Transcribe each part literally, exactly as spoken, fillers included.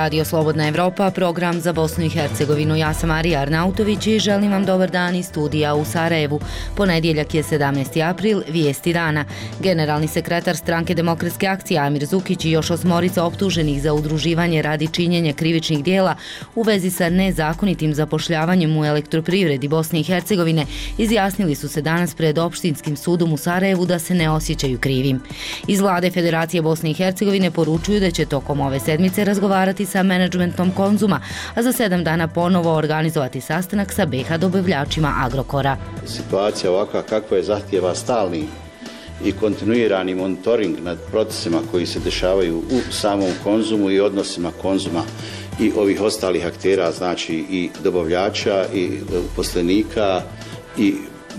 Radio Slobodna Evropa, program za Bosnu i Hercegovinu. Ja sam Marija Arnautović i želim vam dobar dan iz studija u Sarajevu. Ponedjeljak je sedamnaesti april, vijesti dana. Generalni sekretar Stranke demokratske akcije Amir Zukić i još osmorica optuženih za udruživanje radi činjenja krivičnih dijela u vezi sa nezakonitim zapošljavanjem u elektroprivredi Bosne i Hercegovine izjasnili su se danas pred opštinskim sudom u Sarajevu da se ne osjećaju krivim. Iz vlade Federacije Bosne i Hercegovine poručuju da će tokom ove sedmice razgovarati sa menadžmentom Konzuma, a za sedam dana ponovo organizovati sastanak sa B H dobavljačima Agrokora. Situacija ovakva kakva je zahtijeva stalni i kontinuirani monitoring nad procesima koji se dešavaju u samom Konzumu i odnosima Konzuma i ovih ostalih aktera, znači i dobavljača i uposlenika i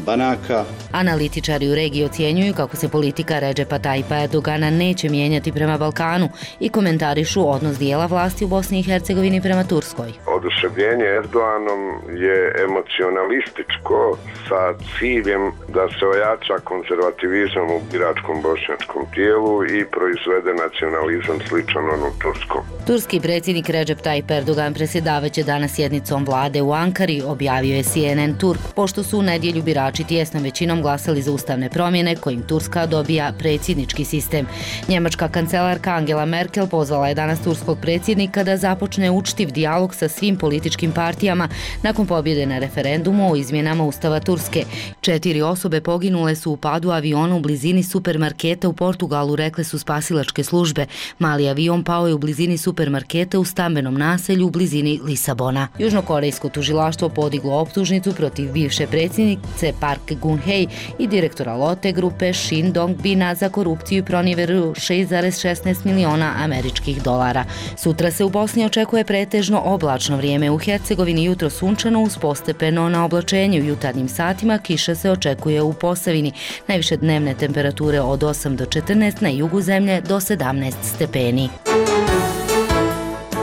banaka. Analitičari u regiji ocjenjuju kako se politika Redžepa Tajipa Erdogana neće mijenjati prema Balkanu i komentarišu odnos dijela vlasti u Bosni i Hercegovini prema Turskoj. Oduševljenje Erdoganom je emocionalističko sa ciljem da se ojača konzervativizam u biračkom bošnjačkom tijelu i proizvede nacionalizam sličan onom turskom. Turski predsjednik Redžep Tajip Erdogan predsjedavaće danas sjednicom vlade u Ankari, objavio je C N N Turk, pošto su u nedjelju birači tijesnom većinom glasali za ustavne promjene kojim Turska dobija predsjednički sistem. Njemačka kancelarka Angela Merkel pozvala je danas turskog predsjednika da započne učtiv dijalog sa svim političkim partijama nakon pobjede na referendumu o izmjenama Ustava Turske. Četiri osobe poginule su u padu aviona u blizini supermarketa u Portugalu, rekle su spasilačke službe. Mali avion pao je u blizini supermarketa u stambenom naselju u blizini Lisabona. Južnokorejsko tužilaštvo podiglo optužnicu protiv bivše predsjednice Park Geun-hye i direktora Lotte grupe Shin Dong-bina za korupciju i pronevjeru šest zarez šesnaest miliona američkih dolara. Sutra se u Bosni očekuje pretežno oblačno vrijeme, u Hercegovini jutro sunčano uz postepeno na oblačenje. U jutarnjim satima kiša se očekuje u Posavini. Najviše dnevne temperature od osam do četrnaest, na jugu zemlje do sedamnaest stepeni.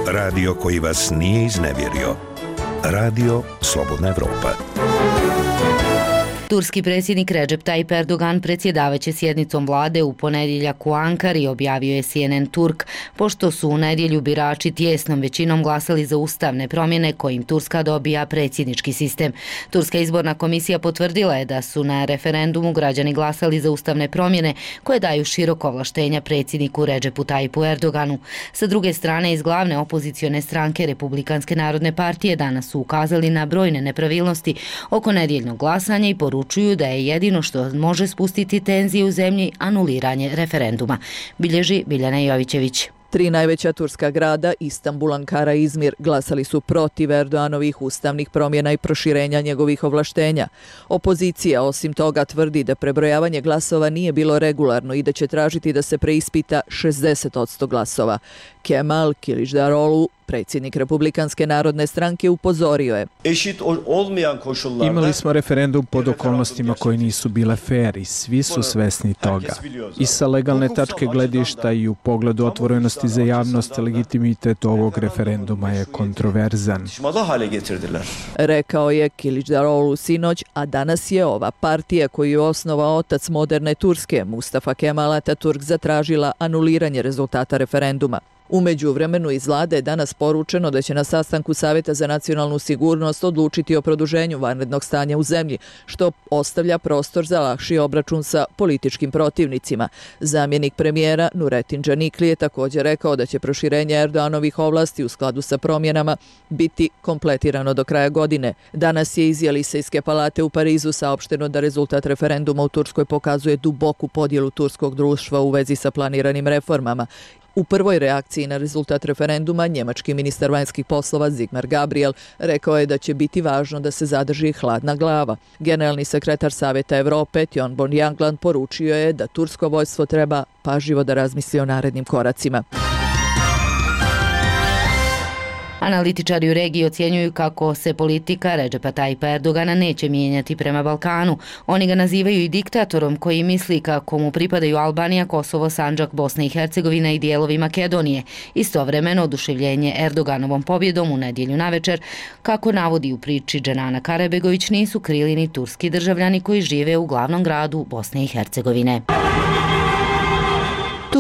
Radio koji vas nije iznevjerio. Radio Slobodna Evropa. Turski predsjednik Redžep Tajip Erdogan predsjedavaće sjednicom vlade u ponedjeljak u Ankari, objavio je C N N Turk, pošto su u nedjelju birači tijesnom većinom glasali za ustavne promjene kojim Turska dobija predsjednički sistem. Turska izborna komisija potvrdila je da su na referendumu građani glasali za ustavne promjene koje daju široko ovlaštenja predsjedniku Redžepu Tajipu Erdoganu. Sa druge strane, iz glavne opozicione stranke Republikanske narodne partije danas su ukazali na brojne nepravilnosti oko nedjeljnog glasanja i poručuju da je jedino što može spustiti tenzije u zemlji anuliranje referenduma. Bilježi Biljana Jovićević. Tri najveća turska grada, Istanbul, Ankara i Izmir, glasali su protiv Erdoganovih ustavnih promjena i proširenja njegovih ovlaštenja. Opozicija osim toga tvrdi da prebrojavanje glasova nije bilo regularno i da će tražiti da se preispita šezdeset posto glasova. Kemal Kılıçdaroğlu, predsjednik Republikanske narodne stranke, upozorio je: Imali smo referendum pod okolnostima koji nisu bile fair i svi su svesni toga. I sa legalne tačke gledišta i u pogledu otvorenosti za javnost, legitimitet ovog referenduma je kontroverzan. Rekao je Kılıçdaroğlu sinoć, a danas je ova partija koju je osnovao otac moderne Turske, Mustafa Kemal Atatürk, zatražila anuliranje rezultata referenduma. U međuvremenu iz vlade je danas poručeno da će na sastanku Savjeta za nacionalnu sigurnost odlučiti o produženju vanrednog stanja u zemlji, što ostavlja prostor za lakši obračun sa političkim protivnicima. Zamjenik premijera Nurettin Canikli je također rekao da će proširenje Erdoganovih ovlasti u skladu sa promjenama biti kompletirano do kraja godine. Danas je iz Jelisejske palate u Parizu saopšteno da rezultat referenduma u Turskoj pokazuje duboku podjelu turskog društva u vezi sa planiranim reformama. U prvoj reakciji na rezultat referenduma, njemački ministar vanjskih poslova Sigmar Gabriel rekao je da će biti važno da se zadrži hladna glava. Generalni sekretar Savjeta Evrope Tjon Bon Jangland poručio je da tursko vojstvo treba pažljivo da razmisli o narednim koracima. Analitičari u regiji ocjenjuju kako se politika Redžepa Tajipa Erdogana neće mijenjati prema Balkanu. Oni ga nazivaju i diktatorom koji misli kako mu pripadaju Albanija, Kosovo, Sandžak, Bosna i Hercegovina i dijelovi Makedonije. Istovremeno oduševljenje Erdoganovom pobjedom u nedjelju navečer, kako navodi u priči Dženana Karabegović, nisu krili ni turski državljani koji žive u glavnom gradu Bosne i Hercegovine.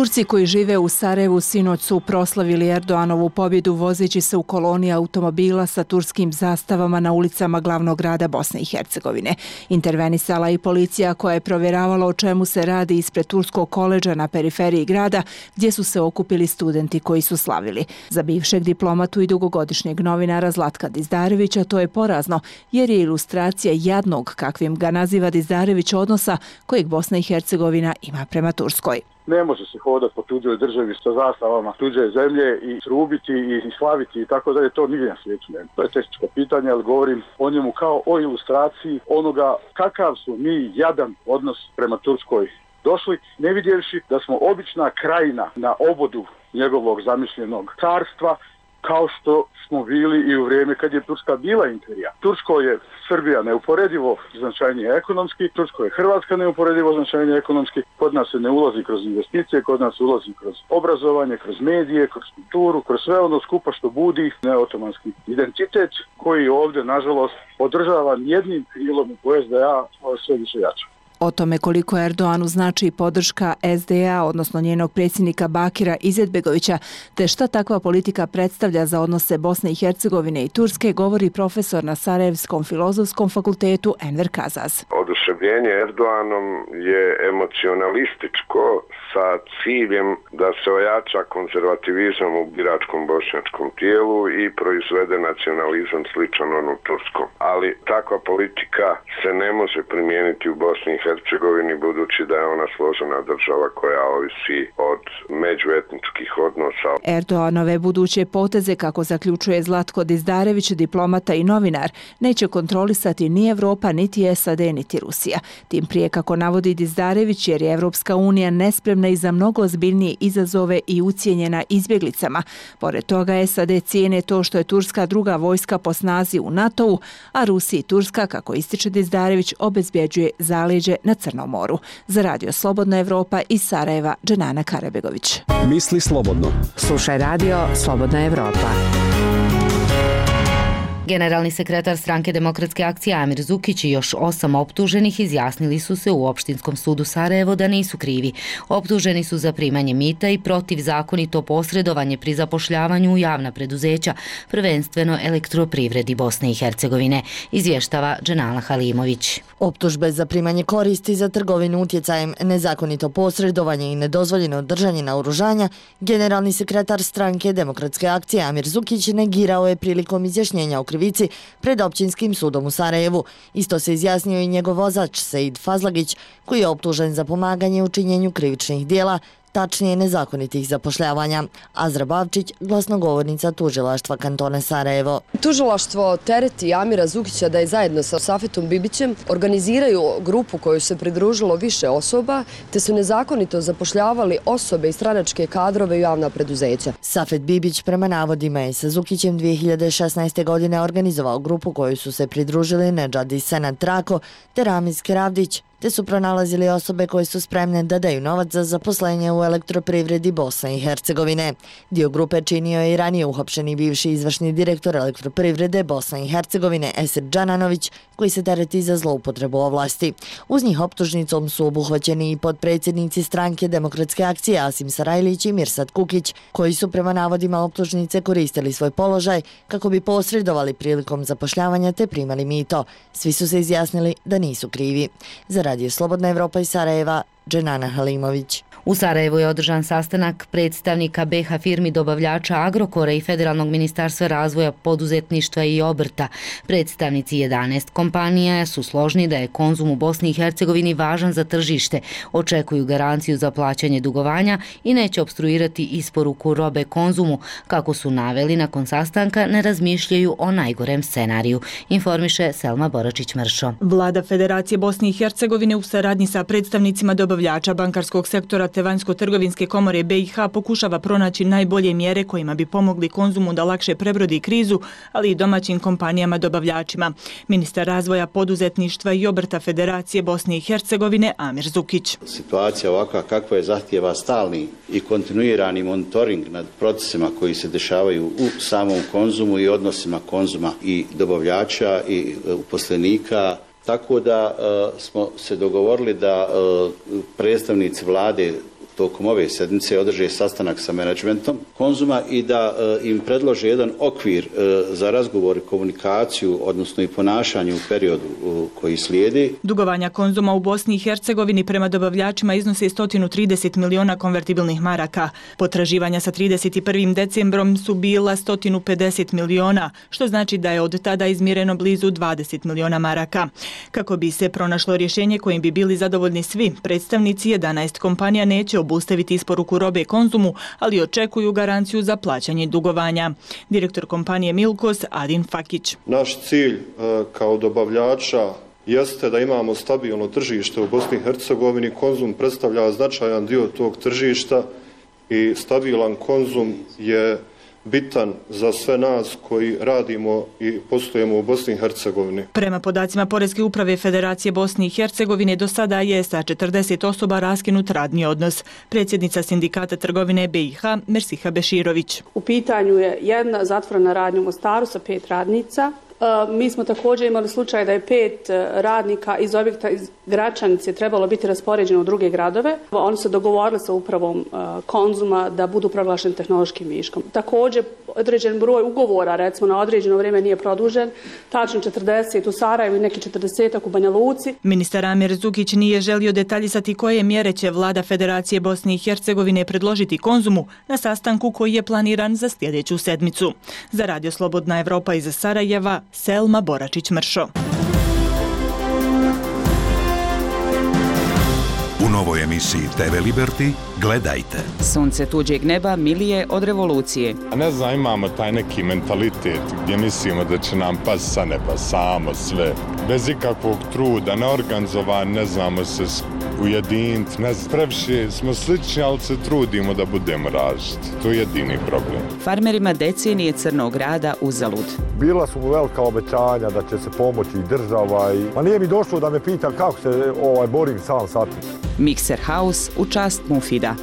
Turci koji žive u Sarajevu sinoć su proslavili Erdoanovu pobjedu vozeći se u koloni automobila sa turskim zastavama na ulicama glavnog grada Bosne i Hercegovine. Intervenisala i policija koja je provjeravala o čemu se radi ispred turskog koledža na periferiji grada gdje su se okupili studenti koji su slavili. Za bivšeg diplomatu i dugogodišnjeg novinara Zlatka Dizdarevića to je porazno jer je ilustracija jadnog, kakvim ga naziva Dizdarević, odnosa kojeg Bosna i Hercegovina ima prema Turskoj. Ne može se hodati po tuđoj državi sa zastavama tuđe zemlje i trubiti i slaviti i tako dalje, to nigdje na svijetu nema. To je tehničko pitanje, ali govorim o njemu kao o ilustraciji onoga kakav su mi jadan odnos prema Turskoj došli, ne vidjevši da smo obična krajina na obodu njegovog zamišljenog carstva, kao što smo bili i u vrijeme kad je Turska bila imperija. Tursko je Srbija neuporedivo značajnije ekonomski, Tursko je Hrvatska neuporedivo značajnije ekonomski, kod nas se ne ulazi kroz investicije, kod nas ulazi kroz obrazovanje, kroz medije, kroz kulturu, kroz sve ono skupa što budi neotomanski identitet koji ovdje, nažalost, održava jednim krilom u S D A sve više jače. O tome koliko Erdoanu znači podrška S D A, odnosno njenog predsjednika Bakira Izetbegovića, te šta takva politika predstavlja za odnose Bosne i Hercegovine i Turske, govori profesor na Sarajevskom filozofskom fakultetu Enver Kazaz. Oduševljenje Erdoanom je emocionalističko sa ciljem da se ojača konzervativizam u biračkom bošnjačkom tijelu i proizvede nacionalizam sličan onom turskom. Ali takva politika se ne može primijeniti u Bosni i Hercegovini budući da je ona složena država koja ovisi od međuetničkih odnosa. Erdoanove buduće poteze, kako zaključuje Zlatko Dizdarević, diplomata i novinar, neće kontrolisati ni Evropa, niti S A D, niti Rusija. Tim prije, kako navodi Dizdarević, jer je Evropska unija nespremna i za mnogo ozbiljnije izazove i ucijenjena izbjeglicama. Pored toga, S A D cijene to što je Turska druga vojska po snazi u NATO-u, a Rusija i Turska, kako ističe Dizdarević, obezbjeđuje zaleđe na Crnom moru. Za Radio Slobodna Evropa iz Sarajeva, Dženana Karabegović. Misli slobodno. Slušaj Radio Slobodna Evropa. Generalni sekretar Stranke demokratske akcije Amir Zukić i još osam optuženih izjasnili su se u Opštinskom sudu Sarajevo da nisu krivi. Optuženi su za primanje mita i protivzakonito posredovanje pri zapošljavanju u javna preduzeća, prvenstveno Elektroprivredi Bosne i Hercegovine, izvještava Dženala Halimović. Optužbe za primanje koristi za trgovinu utjecajem, nezakonito posredovanje i nedozvoljeno držanje naoružanja, generalni sekretar Stranke demokratske akcije Amir Zukić negirao je prilikom izjašnjenja o krivici pred Općinskim sudom u Sarajevu. Isto se izjasnio i njegov vozač Seid Fazlagić, koji je optužen za pomaganje u činjenju krivičnih dijela, tačnije nezakonitih zapošljavanja. Azra Bavčić, glasnogovornica tužilaštva kantona Sarajevo. Tužilaštvo tereti Amira Zukića da je zajedno sa Safetom Bibićem organiziraju grupu koju se pridružilo više osoba, te su nezakonito zapošljavali osobe i stranačke kadrove u javna preduzeća. Safet Bibić prema navodima je sa Zukićem dvije hiljade šesnaeste. godine organizovao grupu koju su se pridružili Nedžadi Senad Trako te Ramiz Keravdić, te su pronalazili osobe koje su spremne da daju novac za zaposlenje u Elektroprivredi Bosne i Hercegovine. Dio grupe činio je i ranije uhapšeni bivši izvršni direktor Elektroprivrede Bosne i Hercegovine Esir Džananović, koji se tereti za zloupotrebu ovlasti. Uz njih optužnicom su obuhvaćeni i potpredsjednici Stranke demokratske akcije Asim Sarajlić i Mirsad Kukić, koji su prema navodima optužnice koristili svoj položaj kako bi posredovali prilikom zapošljavanja te primali mito. Svi su se izjasnili da nisu krivi. Za Radio Slobodna Evropa iz Sarajeva, Dženana Halimović. U Sarajevu je održan sastanak predstavnika B H firmi dobavljača Agrokora i Federalnog ministarstva razvoja poduzetništva i obrta. Predstavnici jedanaest kompanija su složni da je konzum u Bosni i Hercegovini važan za tržište, očekuju garanciju za plaćanje dugovanja i neće opstruirati isporuku robe konzumu. Kako su naveli, nakon sastanka ne razmišljaju o najgorem scenariju, informiše Selma Boračić-Mršo. Vlada Federacije Bosne i Hercegovine u saradnji sa predstavnicima dobavljača bankarskog sektora te Vanjsko-trgovinske komore B i H pokušava pronaći najbolje mjere kojima bi pomogli konzumu da lakše prebrodi krizu, ali i domaćim kompanijama dobavljačima. Ministar razvoja poduzetništva i obrta Federacije Bosne i Hercegovine Amir Zukić. Situacija ovakva kakva je zahtijeva stalni i kontinuirani monitoring nad procesima koji se dešavaju u samom konzumu i odnosima konzuma i dobavljača i uposlenika. Tako da e, smo se dogovorili da e, predstavnici vlade tokom ove sedmice održe sastanak sa menadžmentom Konzuma i da e, im predlože jedan okvir e, za razgovor i komunikaciju, odnosno i ponašanje u periodu u, koji slijedi. Dugovanja Konzuma u Bosni i Hercegovini prema dobavljačima iznose sto trideset miliona konvertibilnih maraka. Potraživanja sa trideset prvim decembrom su bila sto pedeset miliona, što znači da je od tada izmireno blizu dvadeset miliona maraka. Kako bi se pronašlo rješenje kojim bi bili zadovoljni svi, predstavnici jedanaest kompanija neće obustaviti isporuku robe Konzumu, ali očekuju garanciju za plaćanje dugovanja. Direktor kompanije Milkos, Adin Fakić. Naš cilj kao dobavljača jeste da imamo stabilno tržište u Bosni i Hercegovini. Konzum predstavlja značajan dio tog tržišta i stabilan konzum je bitan za sve nas koji radimo i poslujemo u Bosni i Hercegovini. Prema podacima Poreske uprave Federacije Bosne i Hercegovine do sada je sa četrdeset osoba raskinut radni odnos. Predsjednica sindikata trgovine B i H Mersiha Beširović. U pitanju je jedna zatvorena radnja u Mostaru sa pet radnica. Mi smo također imali slučaj da je pet radnika iz objekta iz Gračanice trebalo biti raspoređeno u druge gradove. Oni su dogovorili sa upravom Konzuma da budu proglašeni tehnološkim viškom. Također određen broj ugovora, recimo na određeno vrijeme, nije produžen, tačno četrdeset u Sarajevu i neki četrdeset u Banja Luci. Ministar Amir Zukić nije želio detaljisati koje mjere će vlada Federacije Bosne i Hercegovine predložiti Konzumu na sastanku koji je planiran za sljedeću sedmicu. Za Radio Slobodna Evropa iz Sarajeva, Selma Boračić-Mršo. U novoj emisiji T V Liberty gledajte. Sunce tuđeg neba milije od revolucije. A ne znam, imamo taj neki mentalitet gdje mislimo da će nam pas sa neba samo sve. Bez ikakvog truda, neorganizovan, ne znamo se ujediniti. Ne znam, previše smo slični, ali se trudimo da budemo različiti. To je jedini problem. Farmerima decenije crnog rada uzalud. Bila su mu velika obećanja da će se pomoći i država. I... Ma nije mi došlo da me pita kako se ovaj, borim sam sa tim. Mixer House u čast Mufida.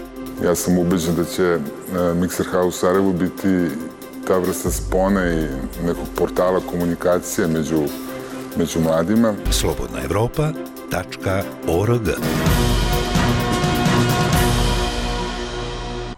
Ja sam ubeđen da će Mixer House u Sarajevu biti ta vrsta spone i nekog portala komunikacije među, među mladima. Slobodna Evropa tačka org.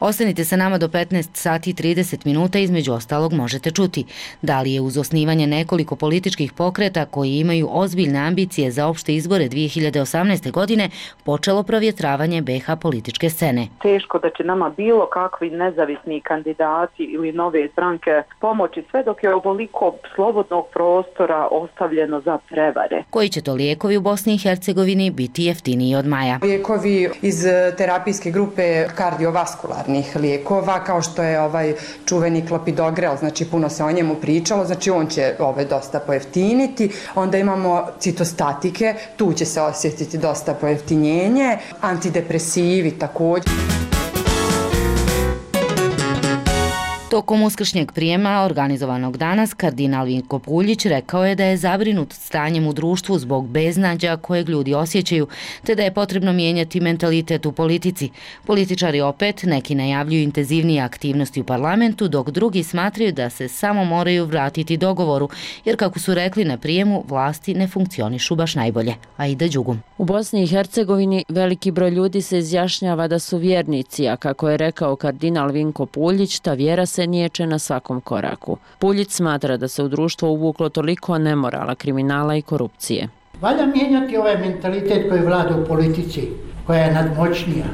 Ostanite sa nama do petnaest sati i trideset minuta, između ostalog možete čuti da li je uz osnivanje nekoliko političkih pokreta koji imaju ozbiljne ambicije za opšte izbore dvije hiljade osamnaeste. godine počelo provjetravanje B iH političke scene. Teško da će nama bilo kakvi nezavisni kandidati ili nove stranke pomoći sve dok je ovoliko slobodnog prostora ostavljeno za prevare. Koji će to lijekovi u Bosni i Hercegovini biti jeftiniji od maja? Lijekovi iz terapijske grupe kardiovaskularni lijekova, kao što je ovaj čuveni klopidogrel, znači puno se o njemu pričalo, znači on će ovaj dosta pojeftiniti. Onda imamo citostatike, tu će se osjetiti dosta pojeftinjenje, antidepresivi također. Tokom uskršnjeg prijema organizovanog danas, kardinal Vinko Puljić rekao je da je zabrinut stanjem u društvu zbog beznađa kojeg ljudi osjećaju, te da je potrebno mijenjati mentalitet u politici. Političari opet neki najavljuju intenzivnije aktivnosti u parlamentu, dok drugi smatraju da se samo moraju vratiti dogovoru, jer kako su rekli na prijemu, vlasti ne funkcionišu baš najbolje. Aida Đugum. U Bosni i Hercegovini veliki broj ljudi se izjašnjava da su vjernici, a kako je rekao kardinal Vinko Puljić, ta vjera se niječe na svakom koraku. Puljić smatra da se u društvo uvuklo toliko nemorala, kriminala i korupcije. Valja mijenjati ovaj mentalitet koji vlada u politici, koja je nadmoćnija.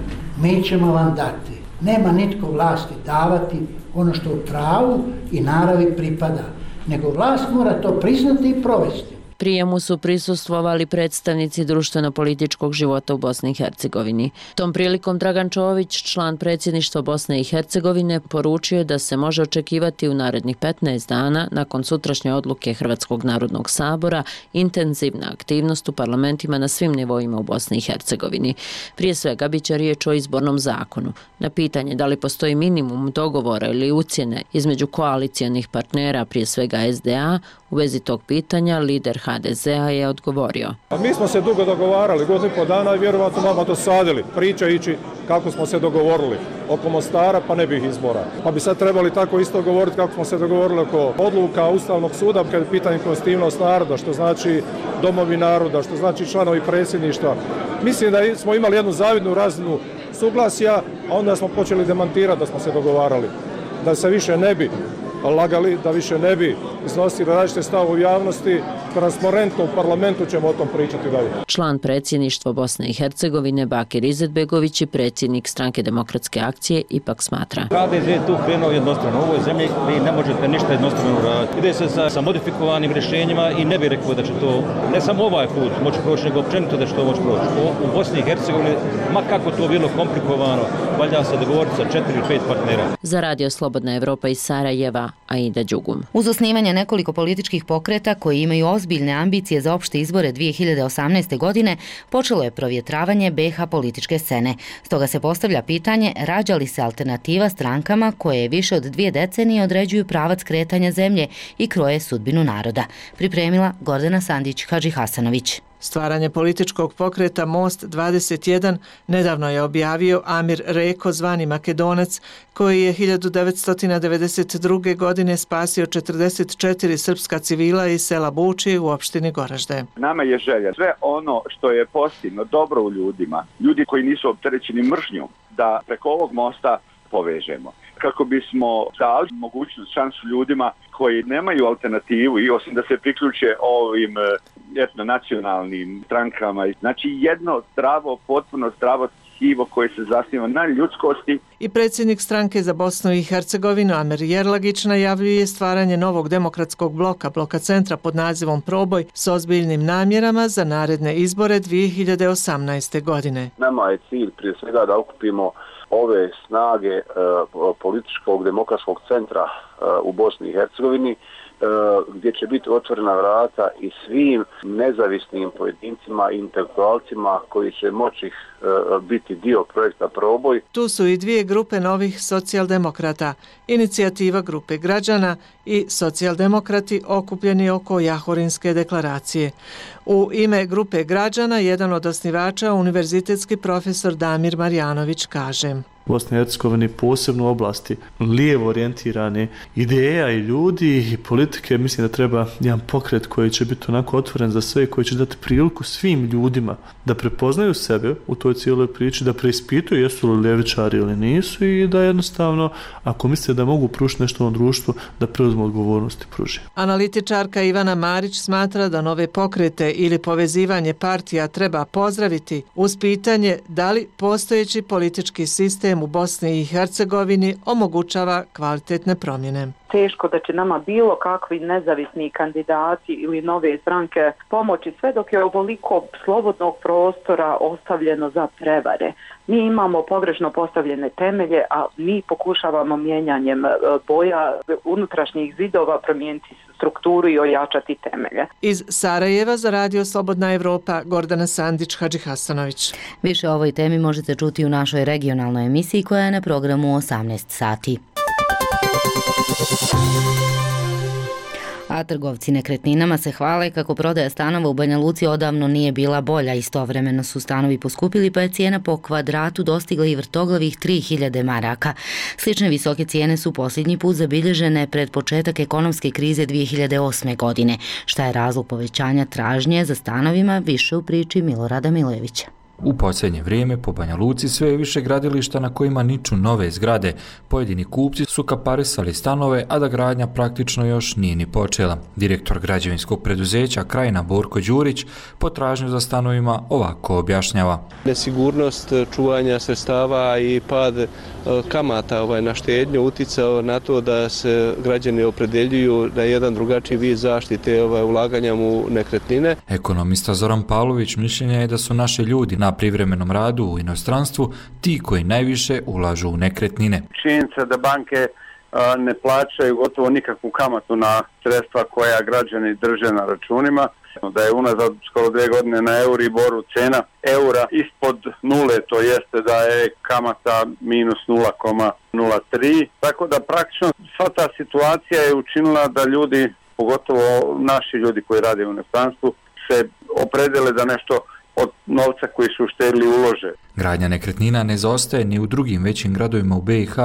Mi ćemo vam dati. Nema nitko vlasti davati ono što u pravu i naravi pripada, nego vlast mora to priznati i provesti. Prijemu su prisustvovali predstavnici društveno-političkog života u Bosni i Hercegovini. Tom prilikom Dragan Čović, član predsjedništva Bosne i Hercegovine, poručio je da se može očekivati u narednih petnaest dana, nakon sutrašnje odluke Hrvatskog narodnog sabora, intenzivna aktivnost u parlamentima na svim nivoima u Bosni i Hercegovini. Prije svega biće riječ o izbornom zakonu. Na pitanje da li postoji minimum dogovora ili ucjene između koalicijonih partnera, prije svega S D A, u vezi tog pitanja lider H D Z-a je odgovorio. A mi smo se dugo dogovarali, godinu i po dana i vjerovatno nama dosadili, pričajući kako smo se dogovorili oko Mostara, pa ne bih izbora. Pa bi sad trebali tako isto govoriti kako smo se dogovorili oko odluka Ustavnog suda, kad je pitanje konstitutivnost naroda, što znači domovi naroda, što znači članovi predsjedništva. Mislim da smo imali jednu zavidnu razinu suglasja, a onda smo počeli demantirati da smo se dogovarali. Da se više ne bi lagali, da više ne bi iznosili različite stavove u javnosti, transparentno u parlamentu ćemo o tom pričati dalje. Član predsjedništva Bosne i Hercegovine Bakir Izetbegović i predsjednik Stranke demokratske akcije ipak smatra. H D Z je tu krenuo jednostrano. U ovoj zemlji vi ne možete ništa jednostrano uraditi. Ide se sa, sa modifikovanim rješenjima i ne bih rekao da će to, ne samo ovaj put moći proći, nego općenito da će to moći proći. O, u Bosni i Hercegovini, ma kako to bilo komplikovano, valja se dogovoriti sa četiri ili pet partnera. Za Radio Slobodna Evropa iz Sarajeva, Aida Đugum. Uz osnivanje nekoliko političkih pokreta koji imaju ozbiljne ambicije za opšte izbore dvije hiljade osamnaeste. godine, počelo je provjetravanje B iH političke scene. Stoga se postavlja pitanje rađa li se alternativa strankama koje više od dvije decenije određuju pravac kretanja zemlje i kroje sudbinu naroda. Pripremila Gordana Sandić-Hadži Hasanović. Stvaranje političkog pokreta Most dvadeset jedan nedavno je objavio Amir Reko, zvani Makedonac, koji je hiljadu devetsto devedeset druge. godine spasio četrdeset četiri srpska civila iz sela Buči u opštini Goražde. Nama je želja sve ono što je pozitivno, dobro u ljudima, ljudi koji nisu opterećeni mržnjom, da preko ovog mosta povežemo. Kako bismo dali mogućnost, šansu ljudima koji nemaju alternativu i osim da se priključe ovim etno nacionalnim strankama. Znači jedno zdravo, potpuno zdravo tkivo koje se zasniva na ljudskosti. I predsjednik stranke za Bosnu i Hercegovinu Amer Jerlagić najavljuje stvaranje novog demokratskog bloka, bloka centra pod nazivom Proboj s ozbiljnim namjerama za naredne izbore dvije hiljade osamnaeste. godine. Nama je cilj prije svega da okupimo ove snage e, političkog demokratskog centra e, u Bosni i Hercegovini, e, gdje će biti otvorena vrata i svim nezavisnim pojedincima i intelektualcima koji će moći e, biti dio projekta Proboj. Tu su i dvije grupe novih socijaldemokrata, inicijativa grupe građana i socijaldemokrati okupljeni oko Jahorinske deklaracije. U ime grupe građana, jedan od osnivača, univerzitetski profesor Damir Marjanović, kaže: U Bosni i Hercegovini posebno u oblasti lijevo orijentirane ideja i ljudi i politike, mislim da treba jedan pokret koji će biti onako otvoren za sve, koji će dati priliku svim ljudima da prepoznaju sebe u toj cijeloj priči, da preispituju jesu li ljevičari ili nisu i da jednostavno, ako misle da mogu pružiti nešto na društvu, da preuzmu odgovornost i pruži. Analitičarka Ivana Marić smatra da nove pokrete ili povezivanje partija treba pozdraviti uz pitanje da li postojeći politički sistem u Bosni i Hercegovini omogućava kvalitetne promjene. Teško da će nama bilo kakvi nezavisni kandidati ili nove stranke pomoći sve dok je ovoliko slobodnog prostora ostavljeno za prevare. Mi imamo pogrešno postavljene temelje, a mi pokušavamo mijenjanjem boja unutrašnjih zidova promijeniti strukturu i ojačati temelje. Iz Sarajeva za Radio Slobodna Evropa, Gordana Sandić-Hadži Hasanović. Više o ovoj temi možete čuti u našoj regionalnoj emisiji koja je na programu osamnaest sati. A trgovci nekretninama se hvale kako prodaja stanova u Banja Luci odavno nije bila bolja. Istovremeno su stanovi poskupili pa je cijena po kvadratu dostigla i vrtoglavih tri hiljade maraka. Slične visoke cijene su posljednji put zabilježene pred početak ekonomske krize dvije hiljade osme. godine. Šta je razlog povećanja tražnje za stanovima, više u priči Milorada Milojevića. U posljednje vrijeme po Banja Luci sve je više gradilišta na kojima niču nove zgrade. Pojedini kupci su kaparisali stanove, a da gradnja praktično još nije ni počela. Direktor građevinskog preduzeća Krajina Borko Đurić potražnju za stanovima ovako objašnjava. Nesigurnost čuvanja sredstava i pad kamata ovaj, na štednju uticao na to da se građani opredeljuju na jedan drugačiji vid zaštite ovaj, ulaganja u nekretnine. Ekonomista Zoran Pavlović mišljenja je da su naši ljudi na privremenom radu u inostranstvu ti koji najviše ulažu u nekretnine. Činjenica da banke a, ne plaćaju gotovo nikakvu kamatu na sredstva koja građani drže na računima, da je unazad skoro dvije godine na Euriboru cena eura ispod nule, to jeste da je kamata minus nula zarez nula tri, tako da praktično sva ta situacija je učinila da ljudi, pogotovo naši ljudi koji rade u inostranstvu, se opredele da nešto od novca koji su uštedili ulože. Gradnja nekretnina ne zaostaje ni u drugim većim gradovima u B iH,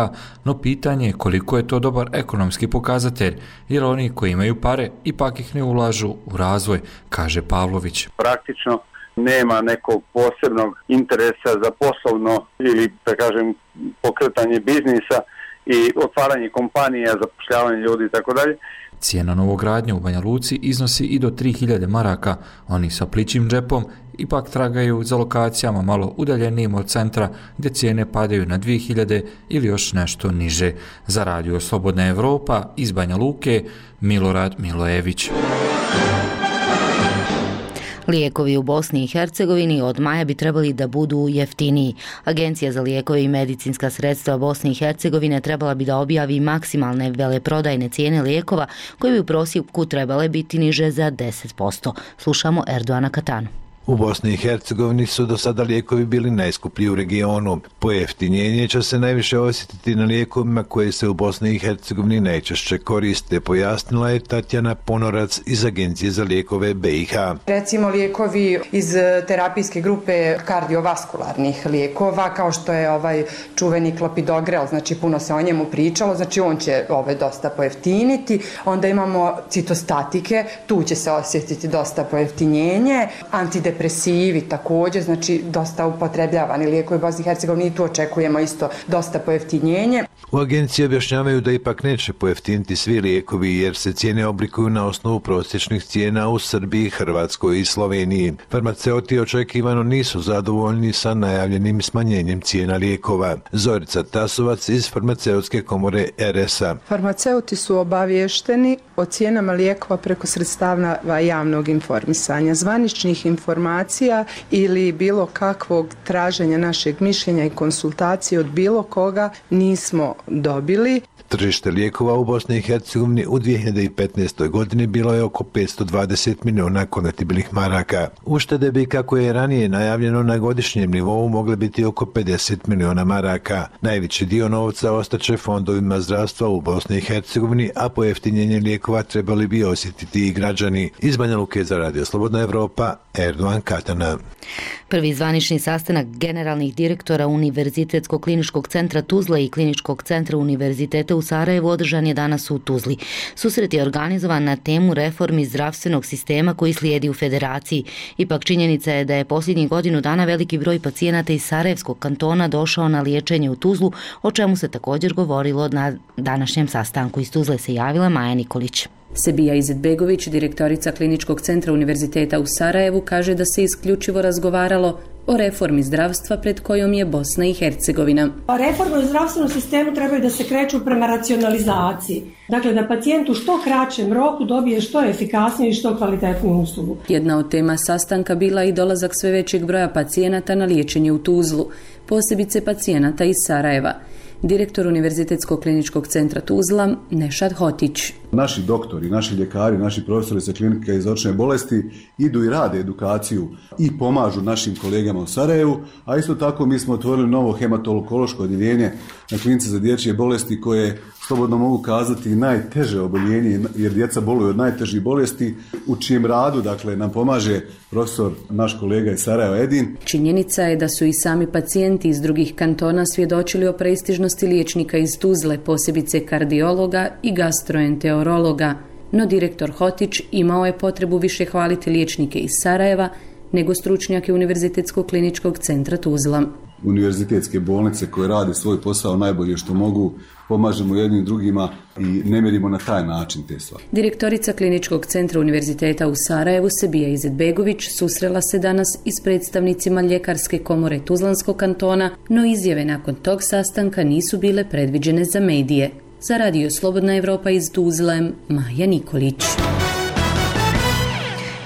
no pitanje je koliko je to dobar ekonomski pokazatelj, jer oni koji imaju pare ipak ih ne ulažu u razvoj, kaže Pavlović. Praktično nema nekog posebnog interesa za poslovno ili, da kažem, pokretanje biznisa i otvaranje kompanija, zapošljavanje ljudi i tako dalje. Cijena novogradnje u Banja Luci iznosi i do tri hiljade maraka. Oni sa plićim džepom ipak tragaju za lokacijama malo udaljenijim od centra gdje cijene padaju na dvije hiljade ili još nešto niže. Za Radio Slobodna Evropa iz Banja Luke, Milorad Milojević. Lijekovi u Bosni i Hercegovini od maja bi trebali da budu jeftiniji. Agencija za lijekove i medicinska sredstva Bosne i Hercegovine trebala bi da objavi maksimalne veleprodajne cijene lijekova koje bi u prosjeku trebale biti niže za deset posto. Slušamo Erdoana Katanu. U Bosni i Hercegovini su do sada lijekovi bili najskuplji u regionu. Pojeftinjenje će se najviše osjetiti na lijekovima koje se u Bosni i Hercegovini najčešće koriste, pojasnila je Tatjana Ponorac iz Agencije za lijekove B i H. Recimo lijekovi iz terapijske grupe kardiovaskularnih lijekova, kao što je ovaj čuveni klopidogrel, znači puno se o njemu pričalo, znači on će ove dosta pojeftiniti. Onda imamo citostatike, tu će se osjetiti dosta pojeftinjenje, antidepresivi Depresivi također, znači dosta upotrebljavani lijekovi u Bosni i Hercegovini, tu očekujemo isto dosta pojeftinjenje. U agenciji objašnjavaju da ipak neće pojeftiniti svi lijekovi jer se cijene oblikuju na osnovu prosječnih cijena u Srbiji, Hrvatskoj i Sloveniji. Farmaceuti očekivano nisu zadovoljni sa najavljenim smanjenjem cijena lijekova. Zorica Tasovac iz Farmaceutske komore R S A. Farmaceuti su obavješteni o cijenama lijekova preko sredstava javnog informisanja, zvaničnih informacija ili bilo kakvog traženja našeg mišljenja i konsultacije od bilo koga nismo dobili. Tržište lijekova u Bosni i Hercegovini u dvije hiljade petnaestoj. godini bilo je oko petsto dvadeset miliona konvertibilnih maraka. Uštede bi, kako je ranije najavljeno, na godišnjem nivou mogle biti oko pedeset miliona maraka. Najveći dio novca ostaće fondovima zdravstva u Bosni i Hercegovini, a pojeftinjenje lijekova trebali bi osjetiti i građani. Iz Banja Luke za Radio Slobodna Evropa, Erdoan Katana. Prvi zvanični sastanak generalnih direktora Univerzitetskog kliničkog centra Tuzla i Kliničkog centra Univerziteta u Sarajevu održan je danas u Tuzli. Susret je organizovan na temu reformi zdravstvenog sistema koji slijedi u federaciji. Ipak činjenica je da je posljednjih godinu dana veliki broj pacijenata iz Sarajevskog kantona došao na liječenje u Tuzlu, o čemu se također govorilo na današnjem sastanku. Iz Tuzle se javila Maja Nikolić. Sebija Izetbegović, direktorica Kliničkog centra Univerziteta u Sarajevu, kaže da se isključivo razgovaralo o reformi zdravstva pred kojom je Bosna i Hercegovina. Reforme u zdravstvenom sistemu trebaju da se kreću prema racionalizaciji. Dakle, da pacijent u što kraćem roku dobije što efikasniju i što kvalitetniju uslugu. Jedna od tema sastanka bila i dolazak sve većeg broja pacijenata na liječenje u Tuzlu, posebice pacijenata iz Sarajeva. Direktor Univerzitetskog kliničkog centra Tuzla, Nešad Hotić. Naši doktori, naši ljekari, naši profesori sa klinike iz očne bolesti idu i rade edukaciju i pomažu našim kolegama u Sarajevu, a isto tako mi smo otvorili novo hematološko odjeljenje na klinici za dječje bolesti koje, slobodno mogu kazati, najteže oboljenje, jer djeca boluju od najtežih bolesti, u čijem radu, dakle, nam pomaže profesor, naš kolega iz Sarajeva Edin. Činjenica je da su i sami pacijenti iz drugih kantona svjedočili o prestižnosti liječnika iz Tuzle, posebice kardiologa i gastroenterologa. No direktor Hotić imao je potrebu više hvaliti liječnike iz Sarajeva nego stručnjake Univerzitetskog kliničkog centra Tuzla. Univerzitetske bolnice koje rade svoj posao najbolje što mogu, pomažemo jednim drugima i ne mjerimo na taj način te stvari. Direktorica Kliničkog centra Univerziteta u Sarajevu, Sebija Izetbegović, susrela se danas i s predstavnicima Ljekarske komore Tuzlanskog kantona, no izjave nakon tog sastanka nisu bile predviđene za medije. Za Radio Slobodna Evropa iz Tuzle, Maja Nikolić.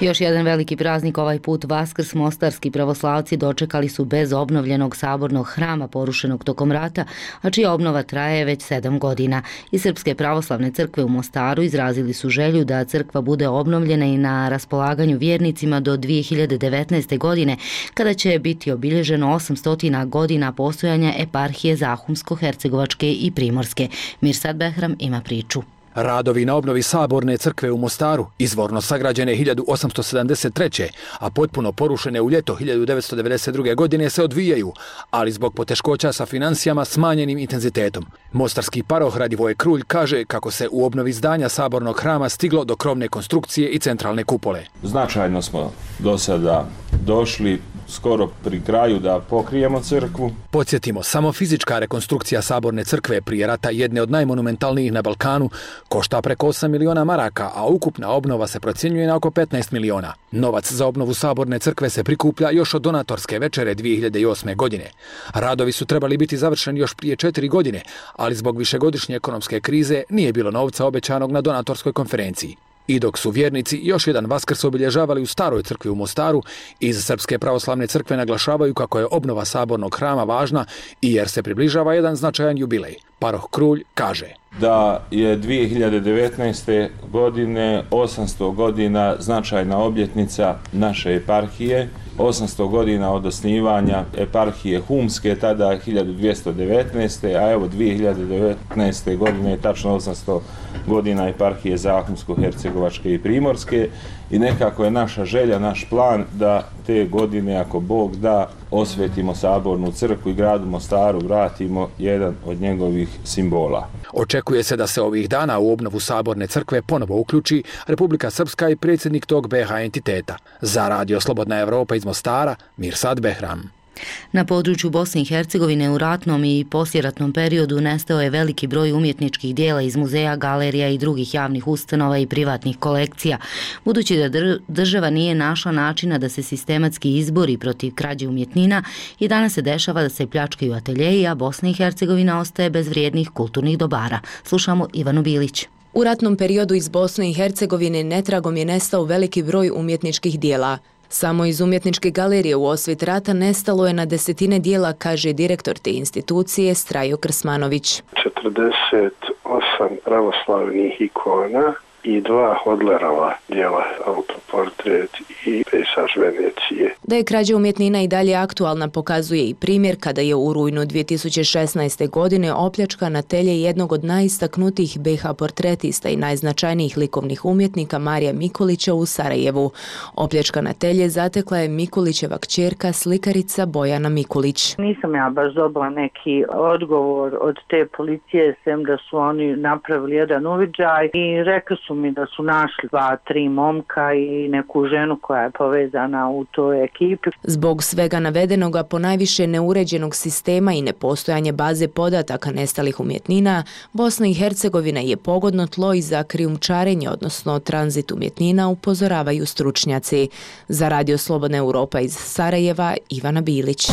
Još jedan veliki praznik, ovaj put Vaskrs, mostarski pravoslavci dočekali su bez obnovljenog sabornog hrama porušenog tokom rata, a čija obnova traje već sedam godina. Iz Srpske pravoslavne crkve u Mostaru izrazili su želju da crkva bude obnovljena i na raspolaganju vjernicima do dvije hiljade devetnaeste. godine, kada će biti obilježeno osamsto godina postojanja eparhije Zahumsko-Hercegovačke i Primorske. Mirsad Behram ima priču. Radovi na obnovi Saborne crkve u Mostaru, izvorno sagrađene hiljadu osamsto sedamdeset treće. a potpuno porušene u ljeto hiljadu devetsto devedeset druge. godine se odvijaju, ali zbog poteškoća sa financijama smanjenim intenzitetom. Mostarski paroh Radivoje Krulj kaže kako se u obnovi zdanja Sabornog hrama stiglo do krovne konstrukcije i centralne kupole. Značajno smo do sada došli skoro pri kraju da pokrijemo crkvu. Podsjetimo, samo fizička rekonstrukcija Saborne crkve prije rata, jedne od najmonumentalnijih na Balkanu, košta preko osam miliona maraka, a ukupna obnova se procjenjuje na oko petnaest miliona. Novac za obnovu Saborne crkve se prikuplja još od donatorske večere dvije hiljade osme. godine. Radovi su trebali biti završeni još prije četiri godine, ali zbog višegodišnje ekonomske krize nije bilo novca obećanog na donatorskoj konferenciji. I dok su vjernici još jedan Vaskrs obilježavali u Staroj crkvi u Mostaru, iz Srpske pravoslavne crkve naglašavaju kako je obnova sabornog hrama važna i jer se približava jedan značajan jubilej. Paroh Krulj kaže da je dvije hiljade devetnaeste. godine osamsto godina značajna obljetnica naše eparhije, osamsto godina od osnivanja eparhije Humske, tada hiljadu dvjesto devetnaeste. a evo dvije hiljade devetnaeste. godine je tačno osamsto godina eparhije Zahumsko-Hercegovačke i Primorske i nekako je naša želja, naš plan da te godine, ako Bog da, osvetimo Sabornu crkvu i gradu Mostaru vratimo jedan od njegovih simbola. Očekuje se da se ovih dana u obnovu Saborne crkve ponovo uključi Republika Srpska i predsjednik tog B H entiteta. Za Radio Slobodna Evropa iz Mostara, Mirsad Behram. Na području Bosne i Hercegovine u ratnom i poslijeratnom periodu nestao je veliki broj umjetničkih dijela iz muzeja, galerija i drugih javnih ustanova i privatnih kolekcija. Budući da država nije našla načina da se sistematski izbori protiv krađe umjetnina, i danas se dešava da se pljačkaju ateljeji, a Bosna i Hercegovina ostaje bez vrijednih kulturnih dobara. Slušamo Ivanu Bilić. U ratnom periodu iz Bosne i Hercegovine netragom je nestao veliki broj umjetničkih dijela. Samo iz umjetničke galerije u osvit rata nestalo je na desetine dijela, kaže direktor te institucije Strajo Krsmanović. četrdeset osam pravoslavnih ikona i dva Hodlerova dijela, autoportret i pejsaž Venecije. Da je krađa umjetnina i dalje aktualna pokazuje i primjer kada je u rujnu dvije tisuće šesnaeste. godine opljačkan atelje jednog od najistaknutijih B H portretista i najznačajnijih likovnih umjetnika Marija Mikulića u Sarajevu. Opljačkan atelje zatekla je Mikulićeva kćerka, slikarica Bojana Mikulić. Nisam ja baš dobila neki odgovor od te policije, sem da su oni napravili jedan uviđaj i rekli su mi da su našli dva, tri momka i neku ženu koja je povezana u toj ekipi. Zbog svega navedenoga, ponajviše neuređenog sistema i nepostojanje baze podataka nestalih umjetnina, Bosna i Hercegovina je pogodno tlo i za krijumčarenje, odnosno tranzit umjetnina, upozoravaju stručnjaci. Za Radio Slobodna Europa iz Sarajeva, Ivana Bilić.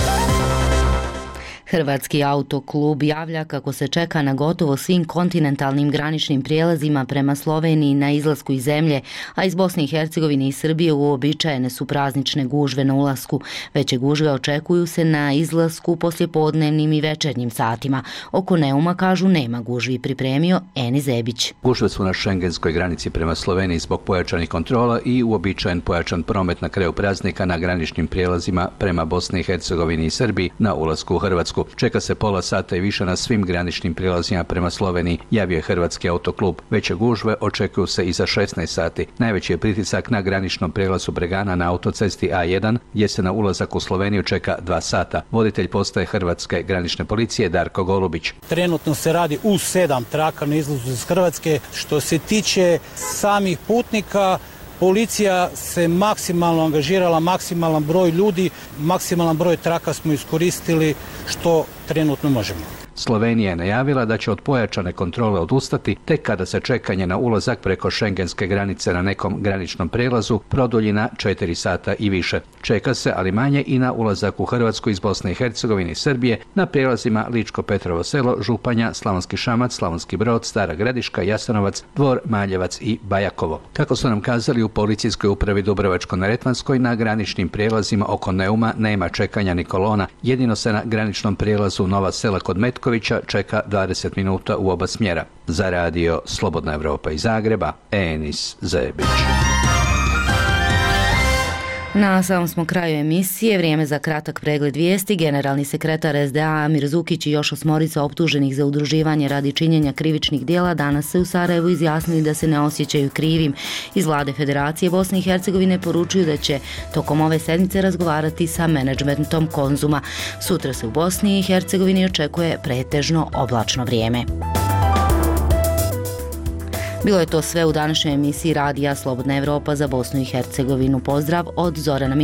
Hrvatski autoklub javlja kako se čeka na gotovo svim kontinentalnim graničnim prijelazima prema Sloveniji na izlasku iz zemlje, a iz Bosne i Hercegovine i Srbije uobičajene su praznične gužve na ulasku. Veće gužve očekuju se na izlasku poslijepodnevnim i večernjim satima. Oko Neuma, kažu, nema gužvi, pripremio Eni Zebić. Gužve su na šengenskoj granici prema Sloveniji zbog pojačanih kontrola i uobičajen pojačan promet na kraju praznika na graničnim prijelazima prema Bosni i Hercegovini i Srbiji na ulasku u Hrvatsku. Čeka se pola sata i više na svim graničnim prijelazima prema Sloveniji, javio je Hrvatski autoklub. Veće gužve očekuju se i za šesnaest sati. Najveći je pritisak na graničnom prijelazu Bregana na autocesti A jedan, gdje se na ulazak u Sloveniju čeka dva sata. Voditelj postaje Hrvatske granične policije Darko Golubić. Trenutno se radi u sedam traka na izlazu iz Hrvatske. Što se tiče samih putnika, policija se maksimalno angažirala, maksimalan broj ljudi, maksimalan broj traka smo iskoristili što trenutno možemo. Slovenija je najavila da će od pojačane kontrole odustati tek kada se čekanje na ulazak preko šengenske granice na nekom graničnom prijelazu produlji na četiri sata i više. Čeka se, ali manje, i na ulazak u Hrvatsku iz Bosne i Hercegovine i Srbije na prijelazima Ličko-Petrovo selo, Županja, Slavonski Šamac, Slavonski Brod, Stara Gradiška, Jasenovac, Dvor, Maljevac i Bajakovo. Kako su nam kazali u policijskoj upravi Dubrovačko-neretvanskoj, na graničnim prijelazima oko Neuma nema čekanja ni kolona, jedino se na graničnom prijelazu Nova Sela kod Metko čeka dvadeset minuta u oba smjera. Za Radio Slobodna Evropa iz Zagreba, Enis Zebić. Na samom smo kraju emisije, vrijeme za kratak pregled vijesti. Generalni sekretar S D A Amir Zukić i još osmorica optuženih za udruživanje radi činjenja krivičnih djela danas se u Sarajevu izjasnili da se ne osjećaju krivim. Iz vlade Federacije Bosne i Hercegovine poručuju da će tokom ove sedmice razgovarati sa menadžmentom Konzuma. Sutra se u Bosni i Hercegovini očekuje pretežno oblačno vrijeme. Bilo je to sve u današnjoj emisiji Radija Slobodna Evropa za Bosnu i Hercegovinu. Pozdrav od Zorana Milića.